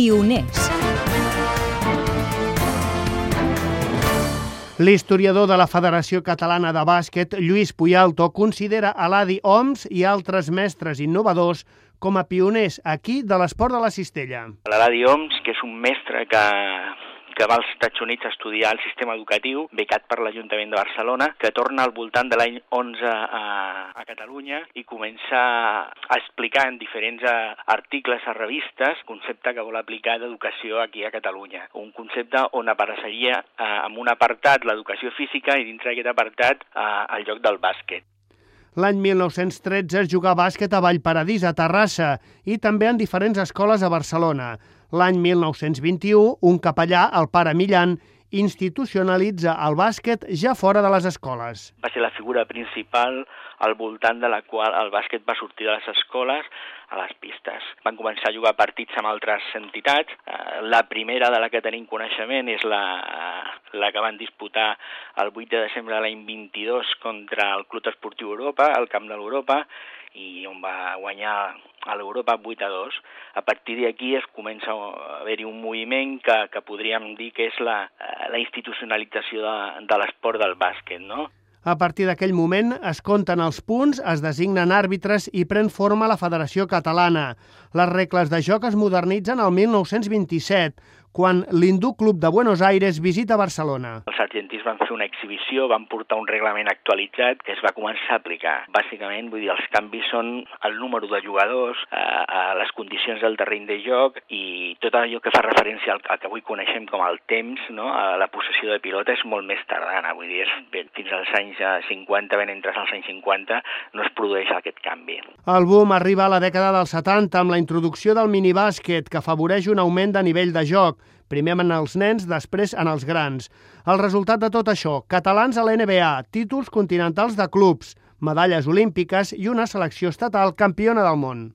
Pioners. L'historiador de la Federació Catalana de Bàsquet, Lluís Puyalto, considera a l'Adi Oms i altres mestres innovadors com a pioners aquí de l'esport de la cistella. L'Adi Oms, que és un mestre que va als Estats Units a estudiar el sistema educatiu, becat per l'Ajuntament de Barcelona, que torna al voltant de l'any 11 a Catalunya i comença a explicar en diferents articles a revistes el concepte que vol aplicar d'educació aquí a Catalunya. Un concepte on apareixeria amb un apartat l'educació física i dintre d'aquest apartat el joc del bàsquet. L'any 1913 es jugà bàsquet a Vallparadís, a Terrassa, i també en diferents escoles a Barcelona. L'any 1921, un capellà, el pare Millan, institucionalitza el bàsquet ja fora de les escoles. Va ser la figura principal al voltant de la qual el bàsquet va sortir de les escoles a les pistes. Van començar a jugar partits amb altres entitats. La primera de la que tenim coneixement és la que van disputar el 8 de desembre de l'any 22 contra el Club Esportiu Europa, al Camp de l'Europa, i on va guanyar a l'Europa 8-2. A partir d'aquí es comença a haver-hi un moviment que podríem dir que és la institucionalització de l'esport del bàsquet, no? A partir d'aquell moment es compten els punts, es designen àrbitres i pren forma la Federació Catalana. Les regles de joc es modernitzen el 1927, quan l'Hindú Club de Buenos Aires visita Barcelona. Els argentins van fer una exhibició, van portar un reglament actualitzat que es va començar a aplicar. Bàsicament, vull dir, els canvis són el número de jugadors, les condicions del terreny de joc i tot allò que fa referència al que avui coneixem com el temps, no? La possessió de pilota és molt més tardana, vull dir, fins als anys 50, ben entres als anys 50, no es produeix aquest canvi. El boom arriba a la dècada dels 70 amb la introducció del minibàsquet, que afavoreix un augment de nivell de joc, primer en els nens, després en els grans. El resultat de tot això, catalans a l'NBA, títols continentals de clubs, medalles olímpiques i una selecció estatal campiona del món.